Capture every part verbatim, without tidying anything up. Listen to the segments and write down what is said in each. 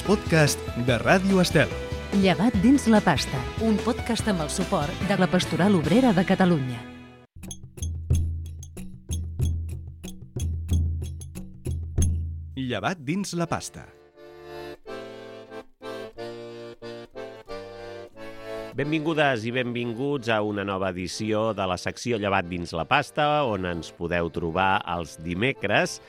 podcast de Ràdio Estel. Llevat dins la pasta, un podcast amb el suport de la Pastoral Obrera de Catalunya. Llevat dins la pasta. Benvingudes i benvinguts a una nova edició de la secció Llevat dins la pasta, on ens podeu trobar els dimecres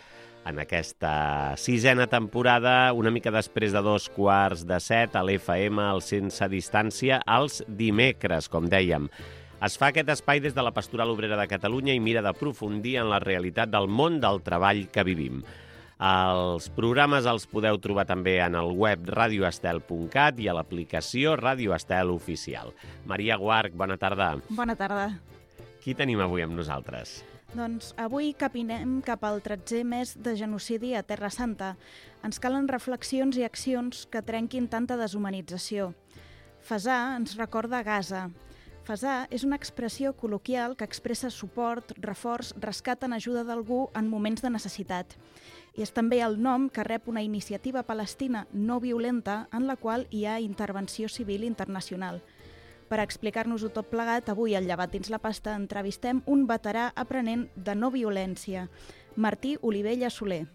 en aquesta sisena temporada, una mica després de dos quarts de set, a l'F M, al Sense Distància, els dimecres, com dèiem. Es fa aquest espai des de la Pastoral Obrera de Catalunya i mira d'aprofundir en la realitat del món del treball que vivim. Els programes els podeu trobar també en el web radio estel punt cat i a l'aplicació Ràdio Estel Oficial. Maria Guarch, bona tarda. Bona tarda. Qui tenim avui amb nosaltres? Doncs avui capinem cap al tretzè mes de genocidi a Terra Santa. Ens calen reflexions i accions que trenquin tanta deshumanització. Fesar ens recorda Gaza. Fesar és una expressió col·loquial que expressa suport, reforç, rescat en ajuda d'algú en moments de necessitat. I és també el nom que rep una iniciativa palestina no violenta en la qual hi ha intervenció civil internacional. Per explicar-nos-ho tot plegat, avui al Llevat dins la pasta entrevistem un veterà aprenent de no violència, Martí Olivella Soler.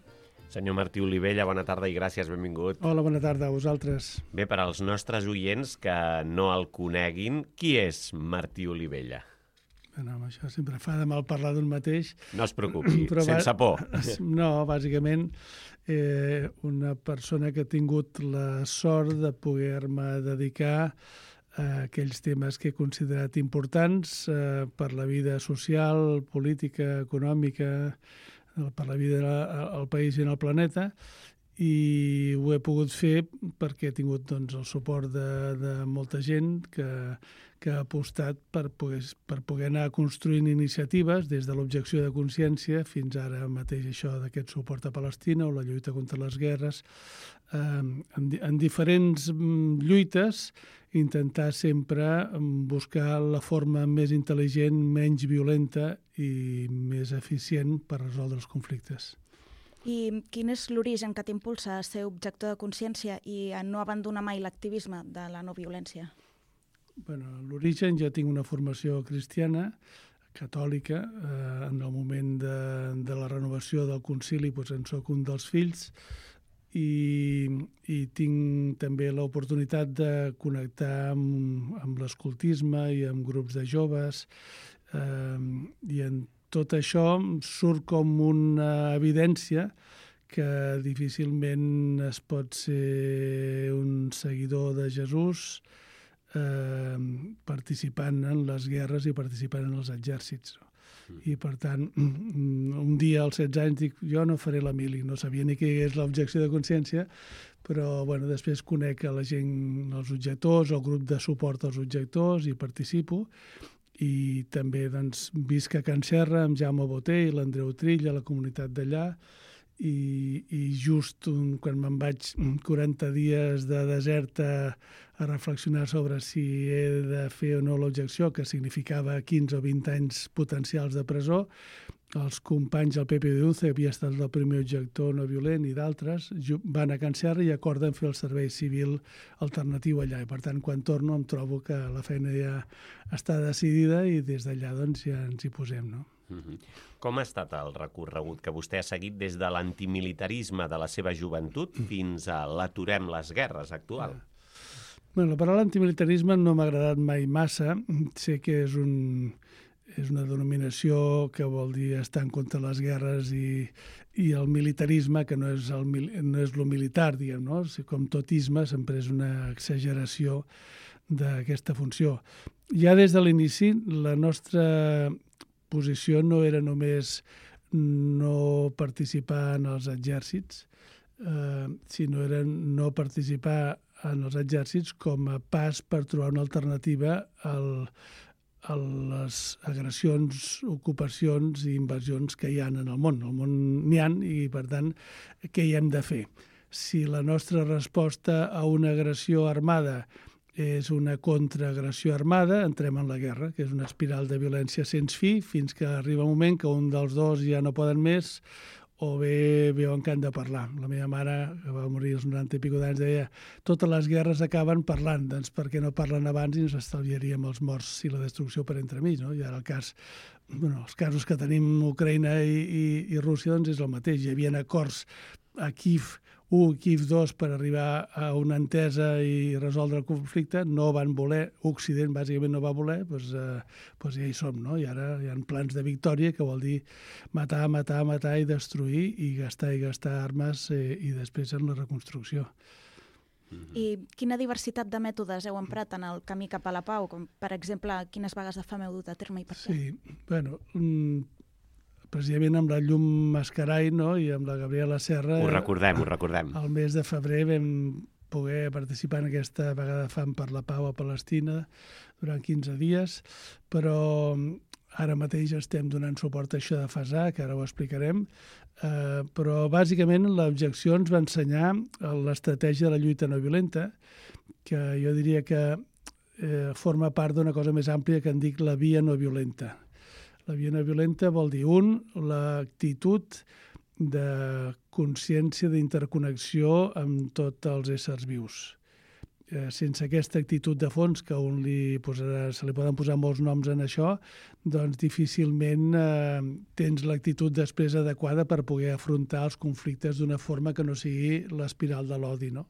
Senyor Martí Olivella, bona tarda i gràcies, benvingut. Hola, bona tarda a vosaltres. Bé, per als nostres oients que no el coneguin, qui és Martí Olivella? Bueno, això sempre fa de mal parlar d'un mateix. No es preocupi, Però sense va... por. No, bàsicament, eh, una persona que ha tingut la sort de poder-me dedicar a aquells temes que he considerat importants eh, per la vida social, política, econòmica, per la vida al país i en el planeta, i ho he pogut fer perquè he tingut doncs, el suport de, de molta gent que, que ha apostat per poder, per poder anar construint iniciatives des de l'objecció de consciència fins ara mateix això d'aquest suport a Palestina o la lluita contra les guerres, eh, en, en diferents lluites, intentar sempre buscar la forma més intel·ligent, menys violenta i més eficient per resoldre els conflictes. I quin és l'origen que t'impulsa a ser objector de consciència i a no abandonar mai l'activisme de la no violència? Bueno, l'origen, jo tinc una formació cristiana, catòlica, eh, en el moment de, de la renovació del concili doncs en soc un dels fills, i, i tinc també l'oportunitat de connectar amb, amb l'escoltisme i amb grups de joves, eh, i en tot això surt com una evidència que difícilment es pot ser un seguidor de Jesús eh, participant en les guerres i participant en els exèrcits. I, per tant, un dia als setze anys dic, jo no faré la mili, no sabia ni què és l'objecció de consciència, però bueno, després conec a la gent, els objectors, el grup de suport als objectors i participo. I també doncs, visc a Can Serra amb Jaume Botey i l'Andreu Trill a la comunitat d'allà, i, i just un, quan me'n vaig quaranta dies de desert a, a reflexionar sobre si he de fer o no l'objecció, que significava quinze o vint anys potencials de presó, els companys del Pepe de Uce, que havia estat el primer objector no violent, i d'altres, van a Can Serra i acorden fer el servei civil alternatiu allà. I, per tant, quan torno em trobo que la feina ja està decidida i des d'allà doncs, ja ens hi posem, no? Mm-hmm. Com ha estat el recorregut que vostè ha seguit des de l'antimilitarisme de la seva joventut fins a l'aturem les guerres actual? Bueno, la paraula antimilitarisme no m'ha agradat mai massa. Sé que és un... és una denominació que vol dir estar en contra de les guerres i, i el militarisme, que no és el, no és lo militar, diguem, no? Com tot isme sempre és una exageració d'aquesta funció. Ja des de l'inici, la nostra posició no era només no participar en els exèrcits, eh, sinó era no participar en els exèrcits com a pas per trobar una alternativa al a les agressions, ocupacions i invasions que hi ha en el món. El món n'hi ha i, per tant, què hi hem de fer? Si la nostra resposta a una agressió armada és una contraagressió armada, entrem en la guerra, que és una espiral de violència sense fi, fins que arriba un moment que un dels dos ja no poden més o bé veuen que han de parlar. La meva mare, que va morir als noranta i pico d'anys, deia totes les guerres acaben parlant, doncs per què no parlen abans i ens estalviaríem els morts i la destrucció per entremig, no? I ara el cas, bueno, els casos que tenim Ucraïna i, i, i Rússia doncs és el mateix. Hi havia acords a Kiev u, Kiev dos per arribar a una entesa i resoldre el conflicte, no van voler, Occident bàsicament no va voler, doncs, eh, doncs ja hi som, no? I ara hi ha plans de victòria, que vol dir matar, matar, matar i destruir i gastar i gastar armes eh, i després en la reconstrucció. I quina diversitat de mètodes heu emprat en el camí cap a la pau? Com, per exemple, quines vagues de fam heu dut a terme i per què? Sí, bueno, precisament amb la Llum Mascarai, no?, i amb la Gabriela Serra... Ho recordem, ho recordem. Al mes de febrer vam poder participar en aquesta vaga de fam per la pau a Palestina durant quinze dies, però ara mateix estem donant suport a això de FASA, que ara ho explicarem, eh, però bàsicament l'objecció ens va ensenyar l'estratègia de la lluita no violenta, que jo diria que eh, forma part d'una cosa més àmplia que en dic la via no violenta. La via no violenta vol dir, un, l'actitud de consciència d'interconnexió amb tots els éssers vius. Eh, sense aquesta actitud de fons, que un li posarà, se li poden posar molts noms en això, doncs difícilment eh, tens l'actitud després adequada per poder afrontar els conflictes d'una forma que no sigui l'espiral de l'odi, no?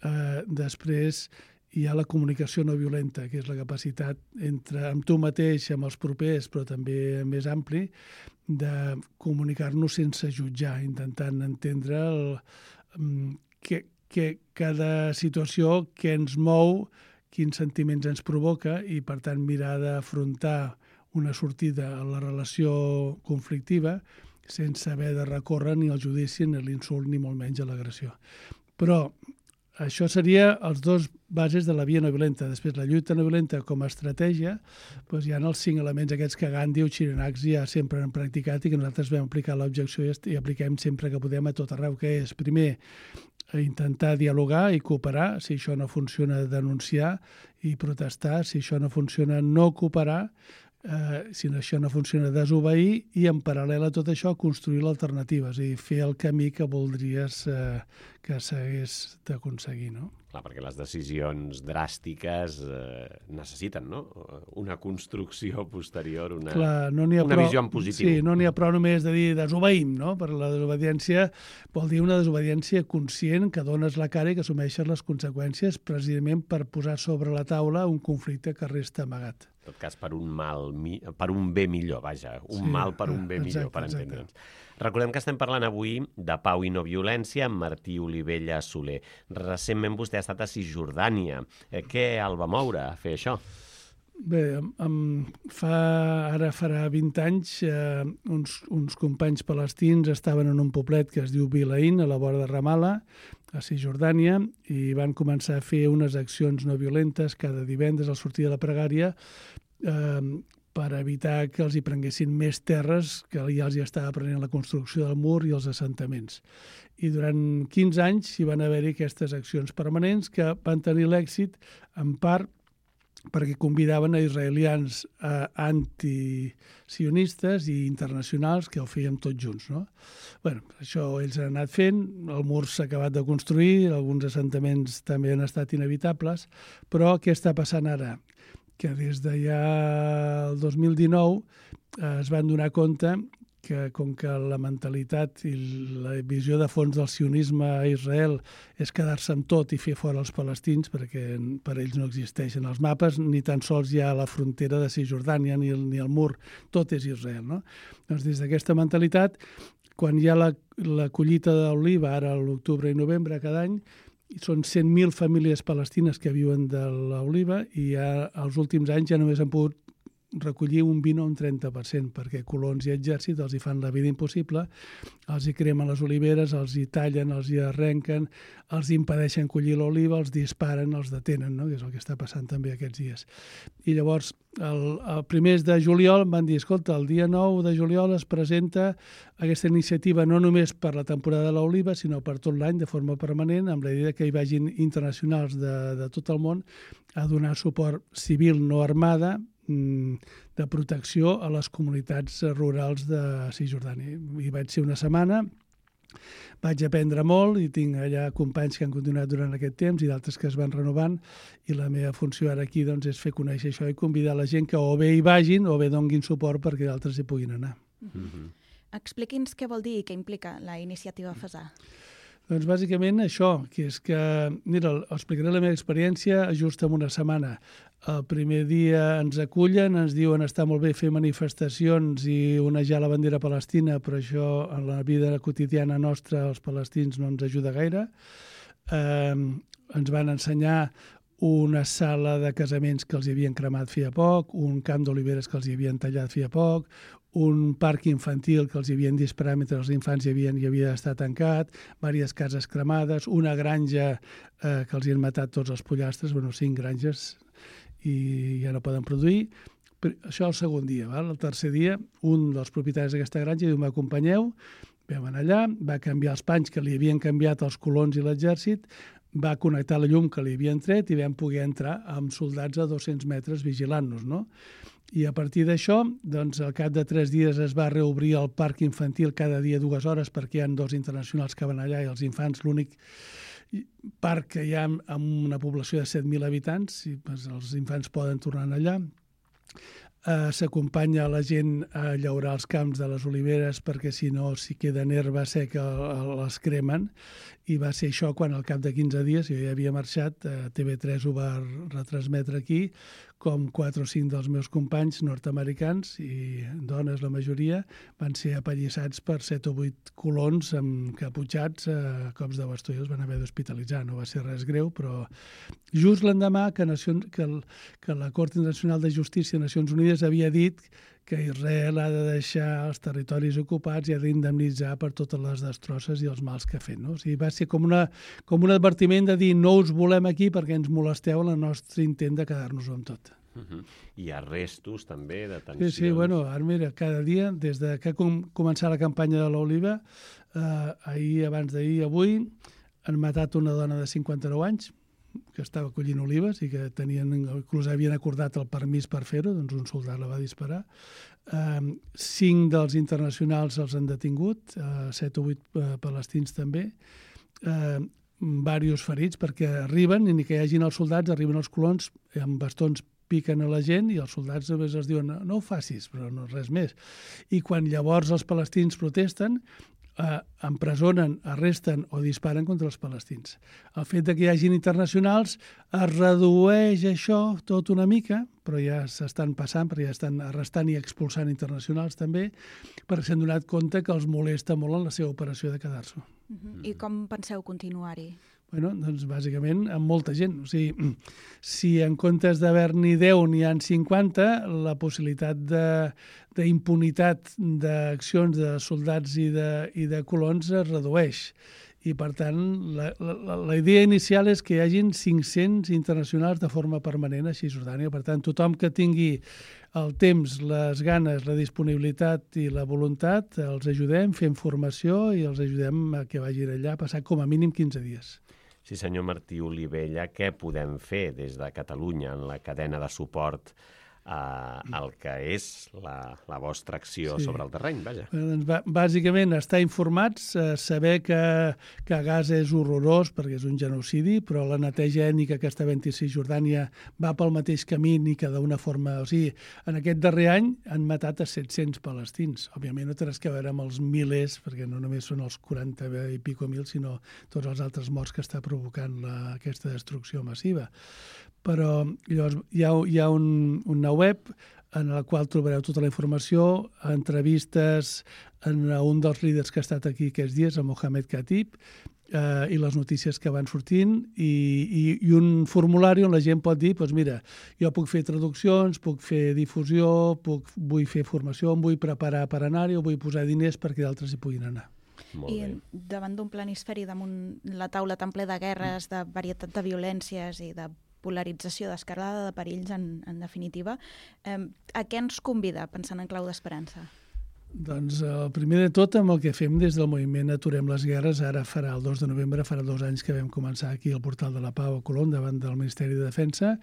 Eh, després hi ha la comunicació no violenta, que és la capacitat entre amb tu mateix, amb els propers, però també més ampli, de comunicar-nos sense jutjar, intentant entendre el, que, que cada situació que ens mou, quins sentiments ens provoca i, per tant, mirar d'afrontar una sortida a la relació conflictiva sense haver de recórrer ni al judici, ni a l'insult, ni molt menys a l'agressió. Però això seria els dos bases de la via no violenta. Després, la lluita no violenta com a estratègia, doncs hi ha els cinc elements aquests que Gandhi o Xirinacs ja sempre han practicat i que nosaltres vam aplicar l'objecció i apliquem sempre que podem a tot arreu, que és, primer, intentar dialogar i cooperar. Si això no funciona, denunciar i protestar. Si això no funciona, no cooperar. Eh, si això no funciona, desobeir, i en paral·lel a tot això construir l'alternativa, és a dir, fer el camí que voldries eh, que s'hagués d'aconseguir, no? Clar, perquè les decisions dràstiques eh, necessiten, no?, una construcció posterior, una, Clar, no n'hi ha una prou, visió en positiu. Sí, no n'hi ha prou només de dir desobeïm, no? Per la desobediència vol dir una desobediència conscient, que dones la cara i que assumeixes les conseqüències precisament per posar sobre la taula un conflicte que resta amagat. En tot cas, per un mal, per un bé millor, vaja, un Sí, mal per un bé exacte, millor, per exacte. entendre'ns. Recordem que estem parlant avui de pau i no violència amb Martí Olivella Soler. Recentment vostè ha estat a Cisjordània. Eh, què el va moure a fer això? Bé, em, fa, ara farà vint anys, eh, uns, uns companys palestins estaven en un poblet que es diu Bilaïn, a la vora de Ramallah, a Cisjordània, i van començar a fer unes accions no violentes cada divendres al sortir de la pregària eh, per evitar que els hi prenguessin més terres, que ja els hi estava prenent la construcció del mur i els assentaments. I durant quinze anys hi van haver-hi aquestes accions permanents que van tenir l'èxit, en part, perquè convidaven a israelians eh, antisionistes i internacionals que ho fèiem tots junts, no? Bueno, això ells han anat fent, el mur s'ha acabat de construir, alguns assentaments també han estat inevitables, però què està passant ara? Que des de ja el dos mil dinou eh, es van donar compte que com que la mentalitat i la visió de fons del sionisme a Israel és quedar-se amb tot i fer fora els palestins, perquè per ells no existeixen els mapes, ni tan sols hi ha la frontera de Cisjordània ni el, ni el mur, tot és Israel, no? Doncs des d'aquesta mentalitat, quan hi ha la, la collita d'oliva, ara a l'octubre i novembre cada any, són cent mil famílies palestines que viuen de l'oliva i ja, els últims anys ja només han pogut recollir un vint o un trenta per cent, perquè colons i exèrcit els hi fan la vida impossible, els hi cremen les oliveres, els hi tallen, els hi arrenquen, els hi impedeixen collir l'oliva, els disparen, els detenen, no? Que és el que està passant també aquests dies. I llavors, el, el primers de juliol van dir, escolta, el dia nou de juliol es presenta aquesta iniciativa no només per la temporada de l'oliva, sinó per tot l'any de forma permanent, amb la idea que hi vagin internacionals de, de tot el món a donar suport civil no armada, de protecció a les comunitats rurals de Cisjordània. Hi vaig ser una setmana, vaig aprendre molt i tinc allà companys que han continuat durant aquest temps i d'altres que es van renovant, i la meva funció ara aquí doncs, és fer conèixer això i convidar la gent que o bé hi vagin o bé donguin suport perquè d'altres hi puguin anar. Mm-hmm. Expliqui'ns què vol dir i què implica la iniciativa FASAR. Doncs bàsicament això, que és que, mira, explicaré la meva experiència just en una setmana. El primer dia ens acullen, ens diuen està molt bé fer manifestacions i onejar la bandera palestina, però això en la vida quotidiana nostra els palestins no ens ajuda gaire. Eh, ens van ensenyar una sala de casaments que els hi havien cremat feia poc, un camp d'oliveres que els hi havien tallat feia poc, un parc infantil que els hi havien disparat mentre els infants hi havien, hi havia estat tancat, diverses cases cremades, una granja eh, que els hi han matat tots els pollastres, bueno, cinc granges, i ja no poden produir. Però això el segon dia. Val? El tercer dia, un dels propietaris d'aquesta granja diu, m'acompanyeu, vam anar allà, va canviar els panys que li havien canviat els colons i l'exèrcit, va connectar la llum que li havien tret i vam poder entrar amb soldats a dos-cents metres vigilant-nos, no? I a partir d'això, doncs, al cap de tres dies es va reobrir el parc infantil cada dia dues hores perquè hi ha dos internacionals que van allà i els infants, l'únic parc que hi ha amb una població de set mil habitants, i doncs, els infants poden tornar allà. Eh, s'acompanya la gent a llaurar els camps de les oliveres perquè si no, si queda herba seca les cremen, i va ser això quan al cap de quinze dies, jo ja havia marxat, eh, T V tres ho va retransmetre aquí, com quatre o cinc dels meus companys nord-americans, i dones la majoria, van ser apallissats per set o vuit colons amb caputxats a cops de bastó i els van haver d'hospitalitzar. No va ser res greu, però just l'endemà que, Nacions, que, el, que la Cort Internacional de Justícia de Nacions Unides havia dit que Israel ha de deixar els territoris ocupats i ha d'indemnitzar per totes les destrosses i els mals que ha fet. No? O sigui, va ser com, una, com un advertiment de dir no us volem aquí perquè ens molesteu en el nostre intent de quedar-nos-ho amb tot. Uh-huh. I arrestos també, detencions. Sí, sí, bueno, ara mira, cada dia, des de que ha com, començat la campanya de l'Oliva, eh, ahir, abans d'ahir, avui, han matat una dona de cinquanta-nou anys, que estava collint olives i que tenien, inclús havien acordat el permís per fer-ho, doncs un soldat la va disparar. Eh, cinc dels internacionals els han detingut, eh, set o vuit eh, palestins també, eh, diversos ferits, perquè arriben, i ni que hi hagin els soldats, arriben els colons amb bastons, piquen a la gent i els soldats només els diuen no, no ho facis, però no res més. I quan llavors els palestins protesten, eh, empresonen, arresten o disparen contra els palestins. El fet de que hi hagin internacionals es redueix això tot una mica, però ja s'estan passant, perquè ja estan arrestant i expulsant internacionals també, perquè s'han donat compte que els molesta molt en la seva operació de quedar-s'ho. Uh-huh. I com penseu continuar-hi? Bueno, doncs bàsicament amb molta gent. O sigui, si en comptes d'haver-n'hi deu n'hi ha cinquanta, la possibilitat d'impunitat d'accions de soldats i de, i de colons es redueix. I, per tant, la, la, la idea inicial és que hi hagin cinc-cents internacionals de forma permanent a Cisjordània. Per tant, tothom que tingui el temps, les ganes, la disponibilitat i la voluntat, els ajudem, fem formació i els ajudem a que vagin allà, passar com a mínim quinze dies. Sí, senyor Martí Olivella, què podem fer des de Catalunya en la cadena de suport al que és la, la vostra acció sí. sobre el terreny? Vaja. Doncs, bàsicament, estar informats, eh, saber que, que Gaza és horrorós perquè és un genocidi, però la neteja ètnica que està havent-hi a Cisjordània va pel mateix camí ni que d'una forma... O sigui, en aquest darrer any han matat a set-cents palestins. Òbviament no té res que veure amb els milers, perquè no només són els quaranta i pico mil, sinó tots els altres morts que està provocant la, aquesta destrucció massiva. Però llavors hi ha, hi ha un, una web en la qual trobareu tota la informació, entrevistes en un dels líders que ha estat aquí aquests dies, el Mohamed Khatib, eh, i les notícies que van sortint, i, i, i un formulari on la gent pot dir, doncs mira, jo puc fer traduccions, puc fer difusió, puc, vull fer formació, em vull preparar per anar-hi o vull posar diners perquè d'altres hi puguin anar. Molt I bé. davant d'un planisferi, damunt la taula tan ple de guerres, de varietat de violències i de polarització, d'escalada de perills, en, en definitiva, eh, a què ens convida, pensant en clau d'esperança? Doncs el primer de tot, amb el que fem des del moviment Aturem les Guerres, ara farà el dos de novembre, farà dos anys que vam començar aquí al Portal de la Pau a Colón, davant del Ministeri de Defensa,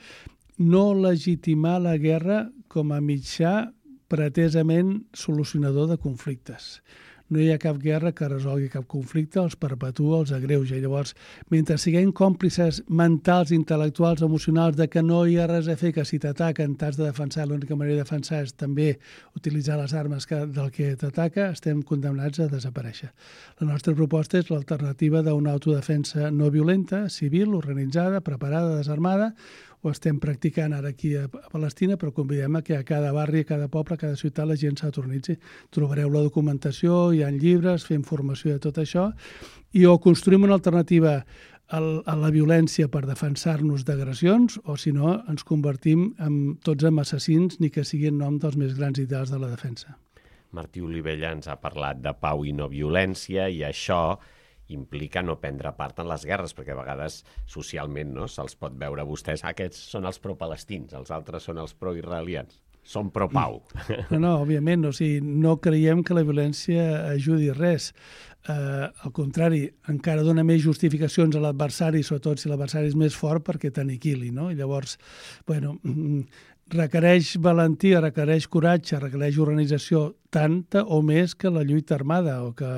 no legitimar la guerra com a mitjà pretesament solucionador de conflictes. No hi ha cap guerra que resolgui cap conflicte, els perpetua, els agreuja. I llavors, mentre siguem còmplices mentals, intel·lectuals, emocionals, de que no hi ha res a fer, que si t'ataquen t'has de defensar, l'única manera de defensar és també utilitzar les armes que, del que t'ataca, estem condemnats a desaparèixer. La nostra proposta és l'alternativa d'una autodefensa no violenta, civil, organitzada, preparada, desarmada. Ho estem practicant ara aquí a Palestina, però convidem a que a cada barri, a cada poble, a cada ciutat la gent s'autoritzi. Trobareu la documentació, hi ha llibres, fem formació de tot això, i o construïm una alternativa a la violència per defensar-nos d'agressions, o si no, ens convertim en, tots en assassins, ni que sigui en nom dels més grans ideals de la defensa. Martí Olivella ens ha parlat de pau i no violència, i això implica no prendre part en les guerres, perquè a vegades socialment no se'ls pot veure a vostès, ah, aquests són els pro-palestins, els altres són els pro-israelians. Són pro-pau. No, no, òbviament, o sigui, no creiem que la violència ajudi res. Uh, al contrari, encara dona més justificacions a l'adversari, sobretot si l'adversari és més fort, perquè t'aniquili, no? I llavors, bueno, requereix valentia, requereix coratge, requereix organització tanta o més que la lluita armada o que,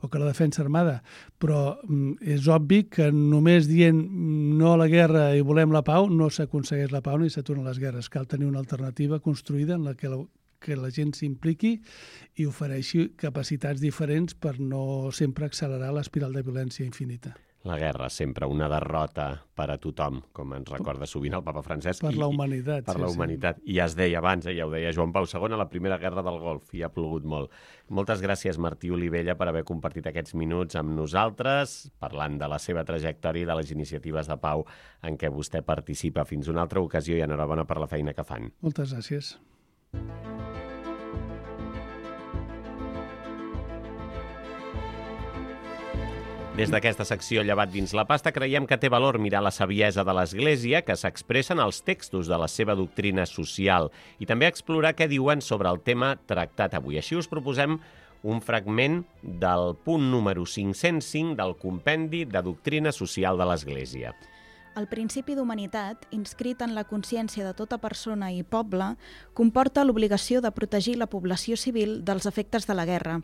o que la defensa armada. Però mm, és obvi que només dient no a la guerra i volem la pau no s'aconsegueix la pau ni s'aturen les guerres. Cal tenir una alternativa construïda en la que la, que la gent s'impliqui i ofereixi capacitats diferents per no sempre accelerar l'espiral de violència infinita. La guerra, sempre una derrota per a tothom, com ens recorda sovint el papa Francesc. Per la humanitat. Per la humanitat. I ja es deia abans, ja ho deia Joan Pau segon, a la primera guerra del Golf, i ha plogut molt. Moltes gràcies, Martí Olivella, per haver compartit aquests minuts amb nosaltres, parlant de la seva trajectòria i de les iniciatives de pau en què vostè participa. Fins una altra ocasió i enhorabona per la feina que fan. Moltes gràcies. Des d'aquesta secció Llevat dins la pasta creiem que té valor mirar la saviesa de l'Església que s'expressa en els textos de la seva doctrina social i també explorar què diuen sobre el tema tractat avui. Així us proposem un fragment del punt número cinc-cents cinc del Compendi de Doctrina Social de l'Església. El principi d'humanitat, inscrit en la consciència de tota persona i poble, comporta l'obligació de protegir la població civil dels efectes de la guerra.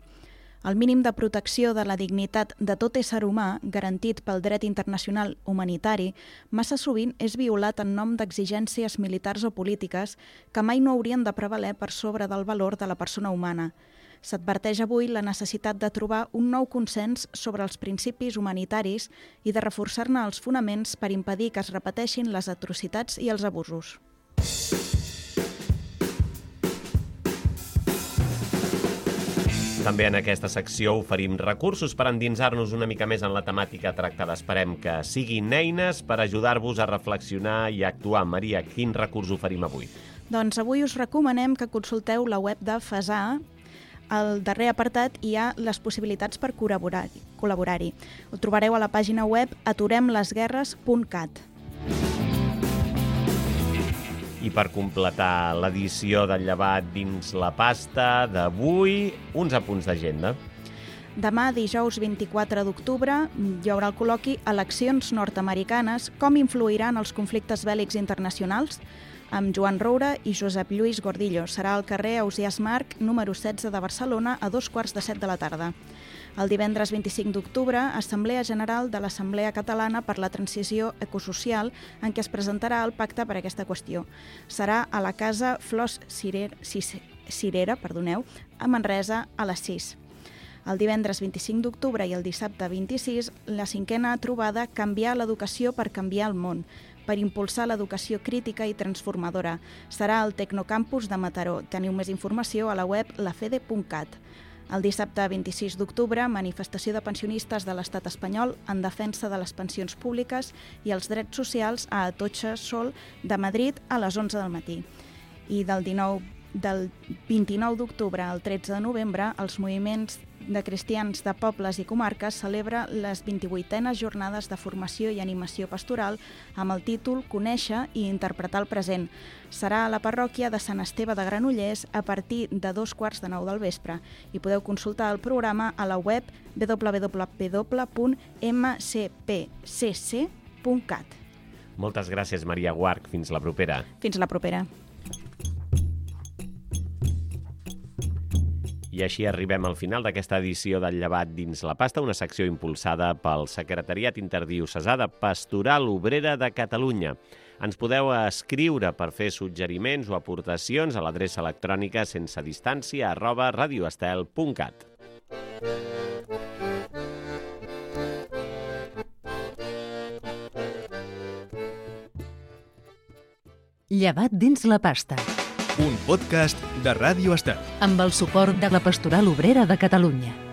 El mínim de protecció de la dignitat de tot ésser humà, garantit pel dret internacional humanitari, massa sovint és violat en nom d'exigències militars o polítiques que mai no haurien de prevaler per sobre del valor de la persona humana. S'adverteix avui la necessitat de trobar un nou consens sobre els principis humanitaris i de reforçar-ne els fonaments per impedir que es repeteixin les atrocitats i els abusos. També en aquesta secció oferim recursos per endinsar-nos una mica més en la temàtica tractada. Esperem que siguin eines per ajudar-vos a reflexionar i a actuar. Maria, quin recurs oferim avui? Doncs avui us recomanem que consulteu la web de FASA. Al darrer apartat hi ha les possibilitats per col·laborar-hi. col·laborar-hi. Ho trobareu a la pàgina web aturem les guerres punt cat. I per completar l'edició del Llevat dins la pasta d'avui, uns apunts d'agenda. Demà, dijous vint-i-quatre d'octubre, hi haurà el col·loqui Eleccions nord-americanes, com influiran els conflictes bèl·lics internacionals? Amb Joan Roura i Josep Lluís Gordillo. Serà al carrer Ausiàs Marc, número setze de Barcelona, a dos quarts de set de la tarda. El divendres vint-i-cinc d'octubre, Assemblea General de l'Assemblea Catalana per la Transició Ecosocial, en què es presentarà el pacte per aquesta qüestió. Serà a la Casa Flors Cirera, Cirera perdoneu, a Manresa, a les sis. El divendres vint-i-cinc d'octubre i el dissabte vint-i-sis, la cinquena trobada Canviar l'educació per canviar el món, per impulsar l'educació crítica i transformadora. Serà al Tecnocampus de Mataró. Teniu més informació a la web lafede punt cat. El dissabte vint-i-sis d'octubre, manifestació de pensionistes de l'Estat espanyol en defensa de les pensions públiques i els drets socials a Atocha Sol de Madrid a les onze del matí. I del dinou del vint-i-nou d'octubre al tretze de novembre, els moviments de cristians de pobles i comarques celebra les vint-i-vuitenes jornades de formació i animació pastoral amb el títol Conèixer i interpretar el present. Serà a la parròquia de Sant Esteve de Granollers a partir de dos quarts de nou del vespre i podeu consultar el programa a la web w w w punt m c p c c punt cat. Moltes gràcies, Maria Guarch. Fins la propera. Fins la propera. I així arribem al final d'aquesta edició del Llevat dins la pasta, una secció impulsada pel Secretariat Interdiocesà de Pastoral Obrera de Catalunya. Ens podeu escriure per fer suggeriments o aportacions a l'adreça electrònica sense distància arroba radioestel punt cat. Llevat dins la pasta. Un podcast de Ràdio Estel. Amb el suport de la Pastoral Obrera de Catalunya.